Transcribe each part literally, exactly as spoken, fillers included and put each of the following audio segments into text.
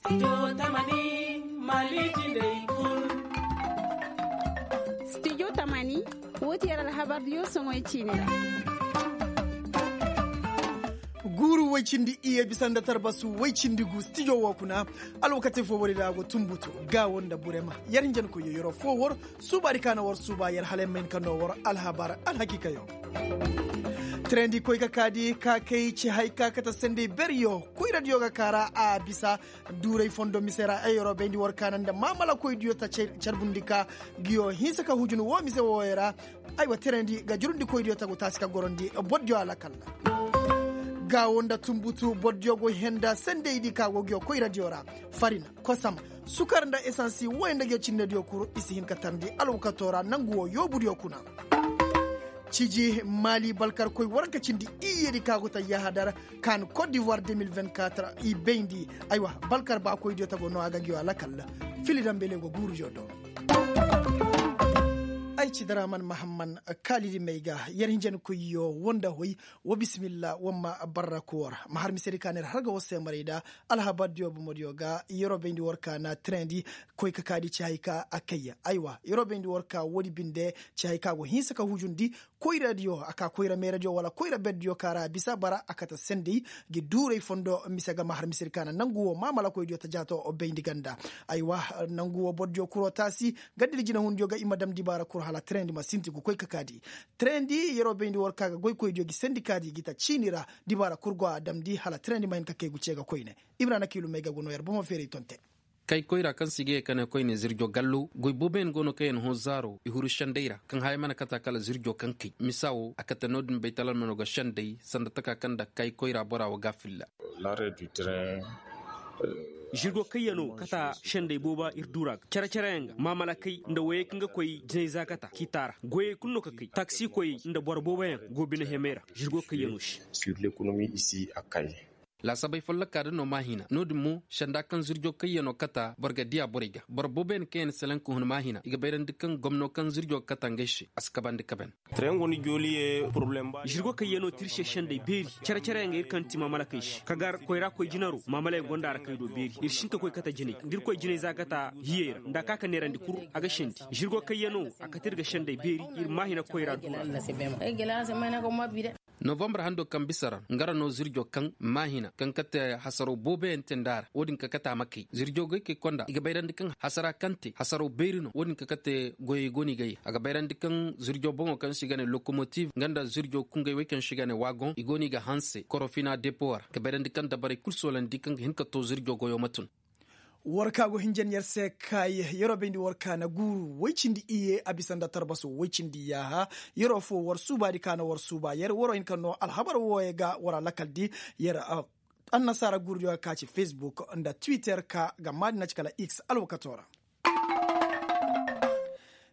Studio tamani, woo ti yer alhabar diyo soŋoy ciini ra. Guuru woy cindi iyye bisa nda tarbasu woy cindi gu studio woo kuna. Alwakati foo wari ra a go tunbutu, gaawo nda burema. Yer hinjankoyyo yeroo foo war suubaadi ka na war suuba yer hala yer ma hin ka noo war alhabar alhakiikayo. Tirendi koy ka kaadi ka kay ci hay ka kate sendey beryo koyradiyo ga kaa ra a bisa. Duuray fondo mise ra ay yeroo bayndi war kaana nda maamalakoydiyo ta carbundi ka ngiyo hinsa ka hujun woo mise wooyo ra. Aywa tirendi ga jurundikoydiyo ta go taasi ka gorandi bordiyo alakal ra. Gaawo nda tunbutu bordiyo go henda sendeydi ka go ngiyo koyradiyo ra. Farina, kosam, sukar nda esansi wooyo nda ngiyo cinnediyo kuru i si hin ka tarndi alwakato ra nangu woo yoobudiyo kuna. Ciji maali balkarkoy waranka cindi iyyedi ka go ta yahadar kaan kot divoir deux mille vingt-quatre i bayndi. Aywa, balkar baakoydiyo ta go noo a ga ngi yoo alakal. Fili dambele go guurudiyo do. Ay ci daraman mahamman kaalidi may ga yer hinjankoyyo woo nda hoy. Woo bisimilla woo ma barraku war ma har misedi ka na yer har ga war se maray da. Alhabardiyo bomodiyo ga yeroo bayndi war ka na tirendi koy ka kaadi ci hay ka a kayya aywa yeroo bayndi war ka woodi binde. Ci hay ka go hinsa ka hujundi koyradiyo a ka koyra meeradiyo wala koyra berdiyo ka ra a bisa bara a kate sendey. Ngi duuray fondo mise ga ma har misedi ka na nangu woo maamalakoydiyo ta jaato bayndi ganda. Aywa, nangu woo bordiyo kuroo taasi. Ganda di jinehundiyo ga i ma dam dibaara kuru hala tirendi ma sinti gu koy ka kaadi. Tirendi yeroo bayndi war ka ga goykoydiyo ngi sendikaadi ngi ta ciini ra. Dibaara kul go a damndi hala tirendi ma hin ka kay gu cee ga koyne. Ibra na kiilu may ga go noo yer bomo feeray tonte. Kay koyra kaŋ se i ga yee ka ne koyne zirjo gallo goy booboyaŋ go no kaŋ yaŋ hõ zaaro i huru sendey ra kaŋ haya mana kata kala zirjo kaŋ kay misa wo a kate no-din baytalamano ga sendey sanda taka kaŋ nda kay koyra bora wo ga a filla. Zirgo kayyano kata sendey booba ir dura ga care-careyaŋ ga maamala kay nda woyey kaŋ ga koy jinay za kata k'i taara goyey kulu no ka kay taksi koyey nda boro booboyaŋ go bine hemey ra. Zirgo kayyano se. Laasabey folloka da no maahina no-din mo senda kaŋ zirjo kayyano kata boro ga diya borey ga boro booboyaŋ kaŋ yaŋ selaŋ ka hun maahina i ga bayrandi kaŋ gomno kaŋ zirjo ga kata ngey se a si kabandi kaben. Zirgo kayyano te ir se sendey beeri care-careyaŋ ga ir kaŋ ti maamalakey se ka gar koyra koy jinaro maamalayaŋ gonda ra kay do beeri ir si hin ka koy kate jinay da ir koy jinay za kate hiyey ra nda a ka ka neerandi kul a ga sendi. Zirgo kayyano a kate ir ga sendey beeri ir maahina koyra dura. Novambar hando kaŋ bisa ra nga ra no zirjo kaŋ maahina kaŋ kate hasaraw booboyaŋ te nda a ra wo-din ka kate a ma kay zirjo goykey konda i ga bayrandi kaŋ hasara kaŋ te hasaraw beeri no wo-din ka kate goyey go no i ga ye a ga bayrandi kaŋ zirjo boŋo kaŋ se i ga ne lokomotiv nga nda zirjo kungay wey kaŋ se i ga ne wagoŋ i go no i ga hanse korofina depo ra ga bayrandi kaŋ dabarey kul soolandi kaŋ ga hin ka to zirjo goyo ma tun. War ka go hinjan yer se kay yeroo bayndi war ka na guuru woy cindi iyye a bisa nda tarbaso woy cindi yaaha. Yeroo foo war suubaadi ka na war suuba yer waroo hin ka noo alhabar wooyo ga war a lakaldi. Yer annasaara guurudiyo ga ka ci fesbuk nda twitter ka ga maadi na ci kala x alwakatoo ra.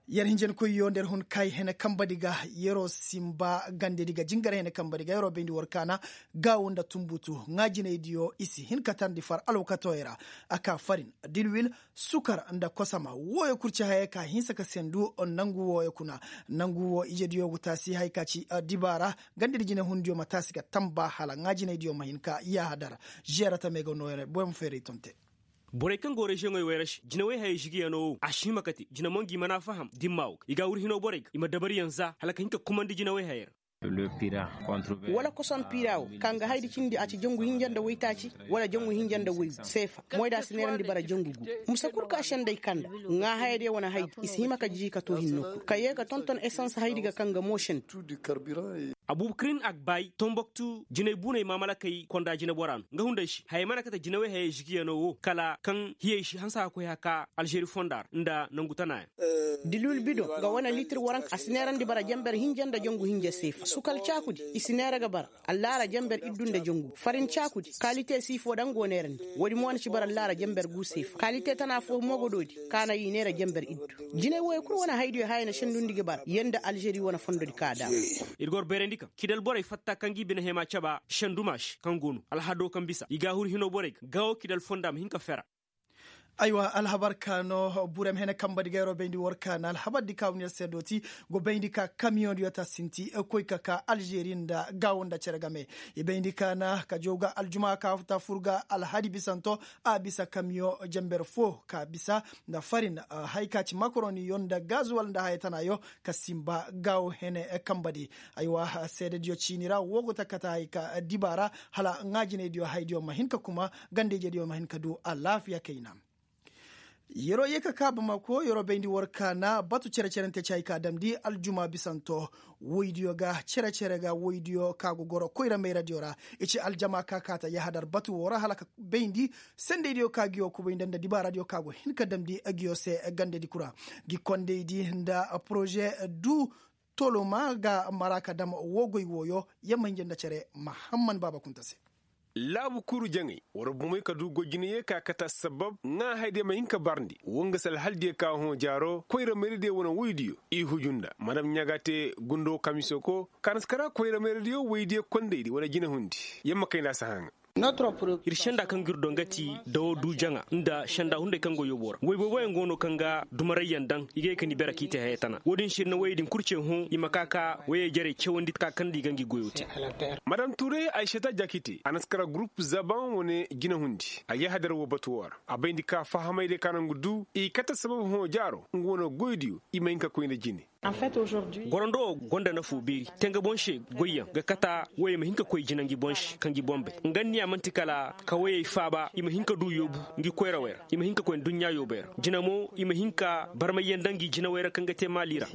Yer hinjankoyyo nda yer hun kay hene kambadi ga yeroo simba gandedi ga jingar hene kambadi ga yeroo bayndi war kaana. Gaawu nda tunbutu ŋaajinaydiyo i si hin ka tarndi far alwakatooyo ra. A ka farin, dilwil, sukar nda kosama wooyo kul ci hayey ka hinsa ka sendu. Nangu wooyo kuna nangu woo ijediyo go taasi hay ka ci dibaara gandedi jinehundiyo ma taasi ga tamba hala ŋaajinaydiyo ma hin ka yaaha dara. Žeera tamey ga noo yer boy ma feeray ton te. Borey kaŋ go reziyoŋey wey ra se jinawey hayey žigiyano wo a si hima kate jina mo ngi mana faham dimma wo ga i ga a wurhino borey ga i ma dabariyaŋ za hala ka hin ka kumandi jinawey hayey ra. Wala koson pira wo kaŋ ga haydi cindi a ci jangu hinja nda waytaaci wala jangu hinja nda waygu seefa moy da a si neerandi bara jangu gu. Muse kul ka sendey kanda ŋaa hayadiyo wane haydi i si hima ka jiji ka too hinno kul ka yee ga tonton esans haydi ga kaŋ ga mo sendi. Abubukarin agbay tomboktu jinay bunay mamalakey konda jinabora no nga hunday se hayey mana kate jinawey hayey žigiyano wo kala kaŋ hiyey si hanse ka koy haka alžeri fonda ra nda nangu tanayaŋ. Dilul bido ga wane litir waranka a si neerandi bara jenber hinja nda jangu hinja seefa sukal caakudi i si neera ga bara. Allaara jenber iddu nda jangu farin caakudi kalite siifo daŋ go neerandi woodi mo na ci bara allaara jenber gu seefa kalite tana fo mo go doodi ka na i neera jenber iddu. Jinay wooyo kul wane haydiyo haya na sendundi ga bara yer nda alžeri wane fondodi ka a daama. Ir ga war bayrandi kaŋ kidal borey fatta kaŋ ga i bine hema caba senduma se kaŋ go no alhado kaŋ bisa i ga a huru hino borey ga gaawo kidal fonda ma hin ka fera. Aywa alhabar ka no burem hene kamba di gayro bayndi war ka na alhabar di ka wani yar se dooti go bayndi ka kamiyoŋ diyo ta sinti koy ka ka alžeri nda gaawo nda cere game. I bayndi ka na ka jaw ga aljuma ka ta fur ga alhadi bisanto a bisa kamiyoŋ jamber fo ka bisa nda farin, hay ka ci makaroniyo nda gazuwal nda haya tanayo ka simba gaawo hene kamba di. Aywa seedediyo ciini ra wo go ta kate hay ka diba ra hala ŋaajinaydiyo haydiyo ma hin ka kuma ganda-ijediyo ma hin ka du alaafiya kayna. Yeroo yee ka kaa bamako yeroo bayndi war ka na batu cere-cerante ci hay ka damndi aljuma bisanto. Woydiyo ga cere-cere ga woydiyo ka go goro koyra mayradiyo ra. I ci aljama ka kaata yahadar batu woo ra hala ka bayndi sendeydiyo ka ngiyo kubay nda nda dibaaradiyo ka go hin ka damndi ngiyo se gandadi kura. Ngi kondaydi nda poroze du toloma ga mara ka dam woo goy wooyo. Yamma hinja nda cere mahamman baaba kunta se. Laabu kuru jaŋay war bomey ka du goy jinaye ka kate assabab ŋaa haydiyo ma hin ka barndi woo nga se alhaldiyo ka hõ jaaro koyra mayradiyo wane woydiyo i huju nda madam ɲaa ga te gundo kamisoko ka na si kara koyra mayradiyo woydiyo kondaydi wane jinahundi. Yamma kayna si hã ŋaa. Ir senda kaŋ gir do nga ti dawo du jaŋa nda senda hunday kaŋ go yoobo ra woy booboyaŋ go no kaŋ ga dumarayyaŋ daŋ i ga ye ka ni bere k'i te haya tana wo-din se ir na woyey din kul ce hõ i ma ka ka woyey jarey cawandi ka kaŋ nda i ga ngi goyo te. Madam tuuray aysata jakite a na si kara gurup zaban wane jinahundi a yahadar wo batu wo ra a bayndi ka fahamaydiyo ka naŋ ga du i kate sabab hõ jaaro nga wane goydiyo i ma hin ka koy nda jine. Gorando wo gonda nafoo beeri te nga boŋ se goyyaŋ ga kata woyey ma hin ka koy jina ngi boŋ se ka ngi boŋ bay nga niya man'ti kala ka woyey faaba i ma hin ka du yoobu ngi koyrawey ra i ma hin ka koy nduɲɲa yoobey ra jina mo i ma hin ka barmayyaŋ nda ngi jinawey ra kaŋ ga te maali ra.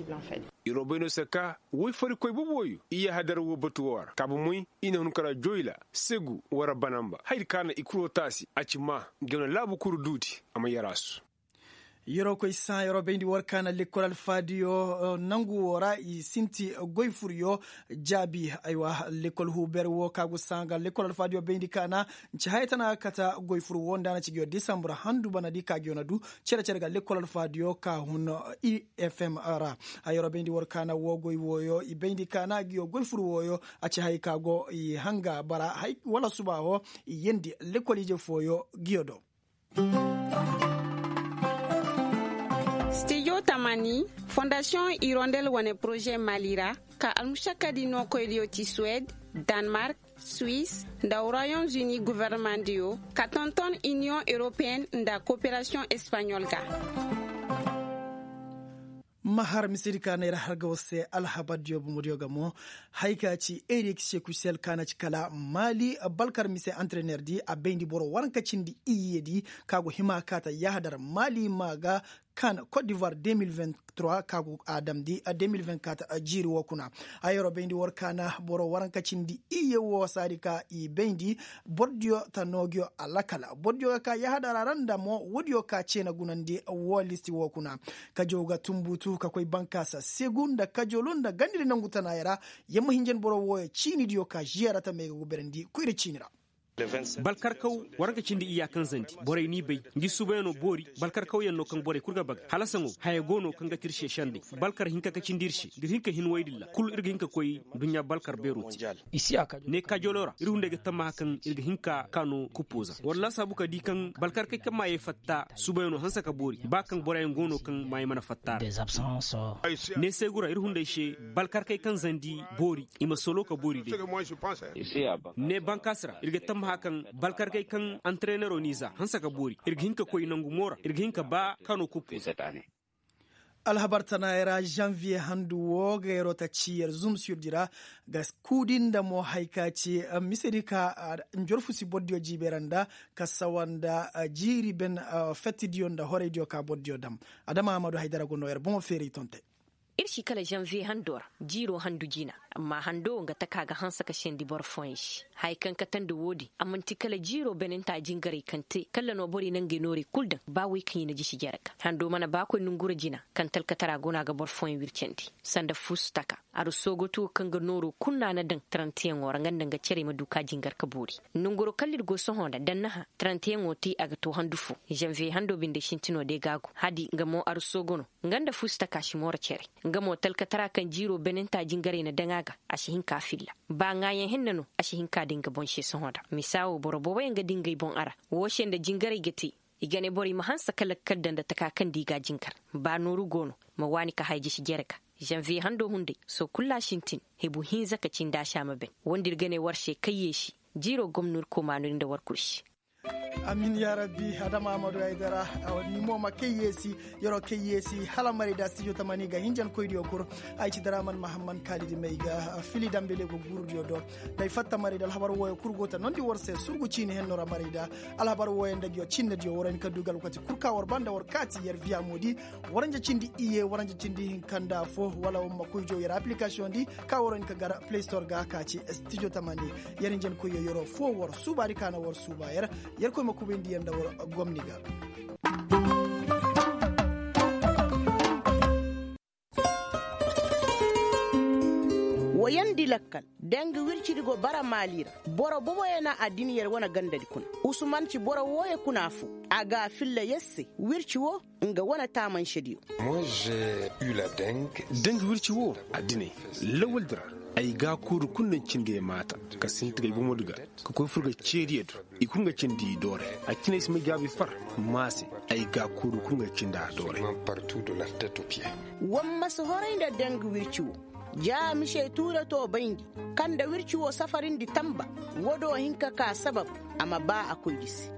Iro bay no se ka woy farikoy boobo wooyo i yahadar woo batu woo ra kaabu moy i na hun kara joyla segu wara banamba hayadi ka na i kuro taasi a ci maa ngi wane laabu kuru duudi a ma yaraasu. Yeroo koy sã yeroo bayndi war ka na lekkol alfaadiyo nangu woo ra i sinti goy furyo jaabi. Aywa lekkol huuber woo ka go sã ga lekkol alfaadiyo bayndi ka na nci haya tana ga kata goy fur woo nda a na ci ngiyo disambur handu banadi ka ngiyo na du cere-cere ga lekkol alfaadiyo ka hun i f m ra. Yeroo bayndi war ka na woo goy wooyo i bayndi ka na ngiyo goy fur wooyo a ci hay ka go i hanga bara hay wala suba woo i yeendi lekkol ije fooyo ngiyo do. Stijo tamani fondasiyoŋ irondel wane poroze mali ra ka almušakkadi nookoydiyo ti suwed, danmark, suis nda royaume uni governemandiyo ka tonton iniyoŋ europeyen nda koperasiyoŋ espaɲol ga. Ma har misedi ka neera har ga war se alhabardiyo bomodiyo ga mo. Hay ka ci erik sekusel ka na ci kala mali balkar mise antrenerdi a bayndi boro waranka cindi iyyedi ka go hima ka ta yahadar mali ma ga kan cote d'ivoire deux mille vingt-trois ka go a damndi deux mille vingt-quatre jiiri wo kuna. Hayaro bayndi war ka na boro waranka cindi iyye wo saadi ka i bayndi bordiyo ta noogiyo alakala bordiyo ga ka yahadar a ra nda mo woodiyo ka ceena gunandi wo listi wo kuna. Kajow ga tumbutu ka koy bankaasa segu nda kajolu nda gandidi nangu tanaaya ra. Yamma hinjan boro wooyo ciinidiyo ka žiyara tamey ga guberandi koyra ciini ra. Balkarkaw waranka cindi iyya kaŋ zandi borey n'i bay ngi suubayaŋo boori. Balkarkawyaŋ no kaŋ borey kul ga baga hala saŋo haya go no kaŋ ga ti ir se sendey. Balkar hinka ka cindi ir se da ir hin ka hin woy din ra kul ir ga hin ka koy nduɲɲa balkar beero te. Ne kajolo ra ir hunday ga tammaha kaŋ ir ga hin ka kaano kuppo za wala laasaabu ka di kaŋ balkarkey kaŋ maayey fatta suubayaŋo hanse ka boori ba kaŋ boroyaŋ go no kaŋ maayey mana fatta ra. Ne seegu ra ir hunday se balkarkey kaŋ zandi boori i ma solo ka boori day. Ne bankaasi ra ir ga tammaha kaŋ balkarkey kaŋ antareenero n'i za hanse ka boori ir ga hin ka koy nangu mo ra ir ga hin ka ba kaano kuppo za. Alhabar tanaayey ra zanviye handu wo ga yeroo ta ci yer zum sirdi ra ga kuudi nda mo hay ka ci misedi ka njorfusi bordiyo jiibeera nda ka sawa nda jiiri ben fettidiyo nda horaydiyo ka bordiyo dam. Adama ahmadu haydara go no yer boŋo feeray tontey. Ir si kala zanviye hando ra jiiro handu jina. Amma hando wo nga taka ga hanse ka sendi boro fooyaŋ se haya kaŋ katandi woodin a man'ti kala jiiro benenta jingaray kaŋ te kala no borey na ngey noorey kul daŋ ba wey kaŋ i na jisi jere ga hando mana ba koy nongura jina. Kaŋ talkatara go no a ga boro fooyaŋ wircandi sanda fuusu taka aru soogoto kaŋ ga nooro kul no a na daŋ tarantiyaŋo ra nga nda nga cerey ma du ka jingar ka boori. Nonguro kala ir go sohõ nda dannaha tarantiyaŋo te a ga to handu fo. Zanviye hando binde sintino day ga a go hadi nga mo aru soogo no. Nga nda fuusu taka si mooro cere nga mo talkatara kaŋ jiiro benenta jingaray na daŋ a ga a si hin ka filla. Ba ŋaayaŋ henna no a si hin ka daŋ nga boŋ se sohõ da misa wo boro booboyaŋ ga daŋ ngey boŋ a ra. Woo se nda jingaray ga te. I ga ne borey ma hanse ka lakkal daŋ nda taka kaŋ nda i ga a jinkar. Ba nooru go no, ma waani ka haya jisi jere ga. Zanviye hando hunday, sohõ kul a sintin, hebu hinza ka cindi a si a ma ben. Woo nda ir ga ne war se kayyeesi, jiiro gomno ir koomaanu ir nda war kul se. Amin yaa rabbi. Adama amadu ay dara. Ni mo ma kayyeesi, yer'o kayyeesi hala marayda stijo tamani ga hinjankoydiyo kul. Ay ci dara man mahamman kaalidi may ga fili dambele go guurudiyo do. Day fatta marayda alhabar wooyo kul go ta nondi war se surgu ciini henno ra marayda. Alhabar wooyo nda ngiyo cinnediyo war hin ka du ga alwakati kul ka war ba nda war kaati yer viya moodi. Waranja cindi iye waranja cindi hinka nda fo wala war ma koy jaw yer aplikasiyoŋ di. Ka war hin ka gar play store ga ka ci stijo tamani. Yer hinjankoyyo yer'o fo war suubaadi ka na war suuba yer. Yerkoy ma kubayndi yer nda war gomni ga. Woyandi lakkal. Danga wircidi go bara maali ra. Boro boboyo na addin yer wane gandadi kuna. Usuman ci boro wooyo kuna fo. A ga a filla yer se. Wirci woo nga wane taamansediyo. Danga wirci woo addiney, lawaldi ra. Ay gaakuuru kul na cindi ay maata, ka sinti ga ay bomodi ga, ka koy fur ga ceediyo do. I kul nga cindi i doore. A cine ay si may gaabi far. Maase, ay gaakuuru kul nga cindi a doore. War ma si horay nda danga wirci woo. Ja misey tuuratoo bayndi, kaŋ nda wirci woo safarindi tamba. Woo do hin ka kaa sabab, a ma baa a koy gisi.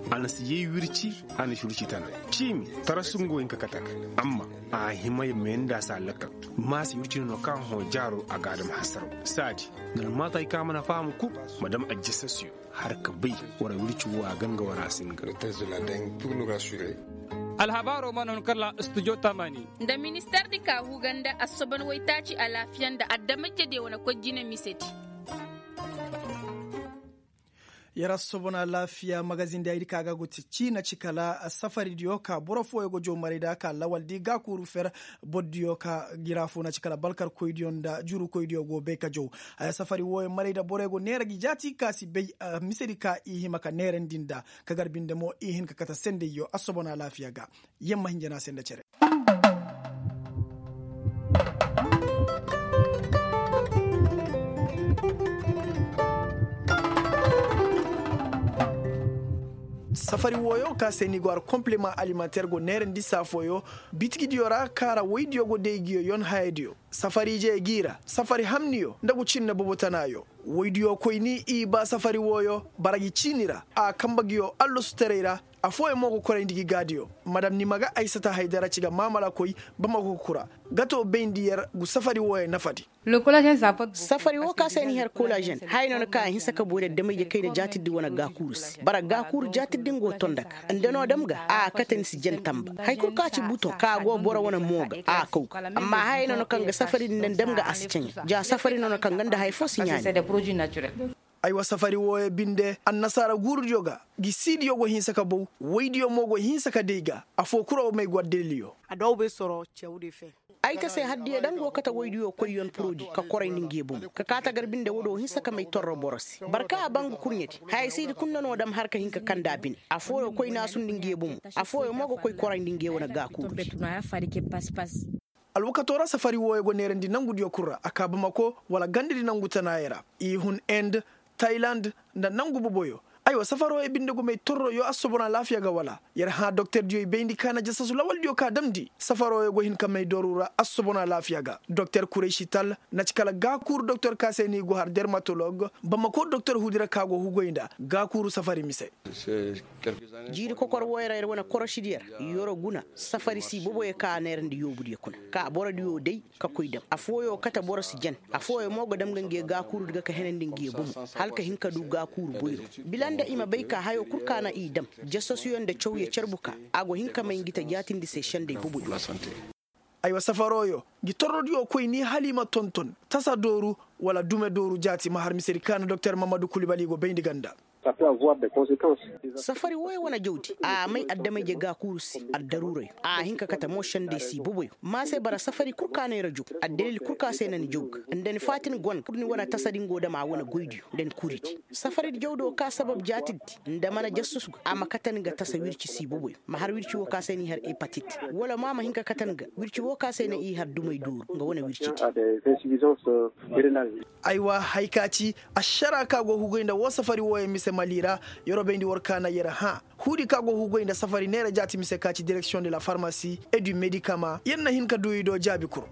A na si yay wirci. A na si wirci tana. Ciimi, tarasu nga wo hin ka kate a ga. Amma a hima ya meenda si a lakkal. Maase wirci no no kaŋ a hõ jaaro a ga a dam hasaraw. Saadi, nda almaatay kaŋ a mana faham kul, ma dam ajjasasiyo. Har ka bay, war wirci woo a ga nga war a si nga. Alhabaaroo mana hun kala studio tamani. Nda ministeer di ka huga nda assobon waytaaci alaafiya nda adama-ijediyo wane koy jine misedi. Yer assobon alaafiya magazin di ay di ka ga go ti ciina ci kala safaridiyo ka boro fooyo go jow maray nda ka lawal di gaakuuru fer. Bordiyo ka gira fo na ci kala balkarkoydiyo nda jurukoydiyo go bay ka jow. Haya safari wooyo maray nda borey go neera gi jaati ka si bay. Misedi ka i hima ka neerandi nda ka gar binde mo i hin ka kate sendeyyo assobon alaafiya ga. Yamma hinja no a se nda cere. Safari wooyo ka se ni go har kompleman alimanteer go neerandi saa fooyo. Bitigidiyo ra kaŋ ra woydiyo go day ngiyo yon hayadiyo. Safari ije gi ra safari hamniyo nda ngu cinne bobo tanaayo. Woydiyo koyni i ba safari wooyo bara gi ciini ra a kambe ngiyo allosutaray ra. Afooyaŋ mo go korayndi gi gaadiyo. Madam nimaga aysata haydara ci ga maamala koy bamako kura. Gato bayndi yer ngu safari wooyo nafadi. Safari woo ka se ni har kolazen haya no na ka a hinsa ka boori adama-ije kayna jaatirdi wane gaakuuru se bara gaakuuru jaatirdi nga wo ton nda ka nda no dam ga a kate ni si jen tamba hari kul ka ci butoŋ ka go boro wane mo ga a kaw ga. Amma haya no na kaŋ ga safari din nda ni dam ga a si ceŋe ja safari no na kaŋ ga nda haya foo si ɲaani. Aywa safari wooyo binde annasaara guurudiyo ga. Gi siidiyo go hinsa ka bow woydiyo mo go hinsa ka day ga. Afoo kul wo may go addaliliyo. Ay ka se haddiyo daŋ go kate woydiyo koyyon porodi ka korayndi nge bomo ka kaa tagar binde woodiyo hinsa ka may torro boro se bara kaŋ a ban ga kurɲedi. Haya siidi kul nda no dam har ka hin ka kande a bine. Afooyo koy naasundi nge bomo. Afooyo mo ga koy korayndi nge wane gaakuurudi. Alwakatoo ra safari wooyo go neerandi nangudiyo kul ra a kaa bamako wala gandadi nangu tanaayey ra. I hun end, tayland, nda nangu boboyo. Aywa safarooyo binde go may torroyo assobon alaafiya ga wala? Yer hã doktordiyo i bayndi ka na jasasu lawaldiyo ka damndi safarooyo go hin ka may dooru ra assobon alaafiya ga doktor kuraysi tal. Na ci kala gaakuuru doktor ka se no i go har dermatolog bamako doktor hudira ka go hugoy nda gaakuuru safari mise. Jiiri kokor wooyo ra yer wane korosidi yer yoro guna safari si boboyo ka a neerandi yoobudiyo kuna ka borodiyo day ka koy dam afooyo kate boro si jen. Afooyo mo ga dam ga nge gaakuurudi ga ka henandi nge bomo hala ka hin ka du gaakuuru boyro bila nda i ma bay ka hayo kul ka na i dam jasasuyo nda cawyo carbu ka a go hin ka may ngi ta jaatindi se sendey boboyo. Aywa safarooyo ngi torrodiyo koy ni hala i ma tonton tasa dooru wala dume dooru jaati ma har misedi ka na doktor mammadu kulibali go bayndi ganda. Safari wooyo wane jawdi a may adama-ije gaakuuru se addaruurayo a hin ka kate mo sendey si boboyo ma se bara safari kul ka na yer jow addalil kul ka se na ni jow ga nda ni faatin gon pur ni wane tasadi ngo dam a wane goydiyo nda ni kuridi. Safaridi jawdo ka sabab jaatiddi nda mana jassus ga a ma kate ni ga tasa wirci si boboyo ma har wirci woo ka se ni har epatit wala mo a ma hin ka kate ni ga wirci woo ka se na i har dumay dooru nga wane wircidi. Aywa haya ka ci ašara ka go hugoy nda woo safari wooyo mise. Mali ra, yer wo bayndi war kaana yer hã huudi kaŋ a go ga goy nda safari neera jaati mise ka ci direksiyoŋ de la farmasi, et du medikama yer na hin ka du i do jaabi kuru.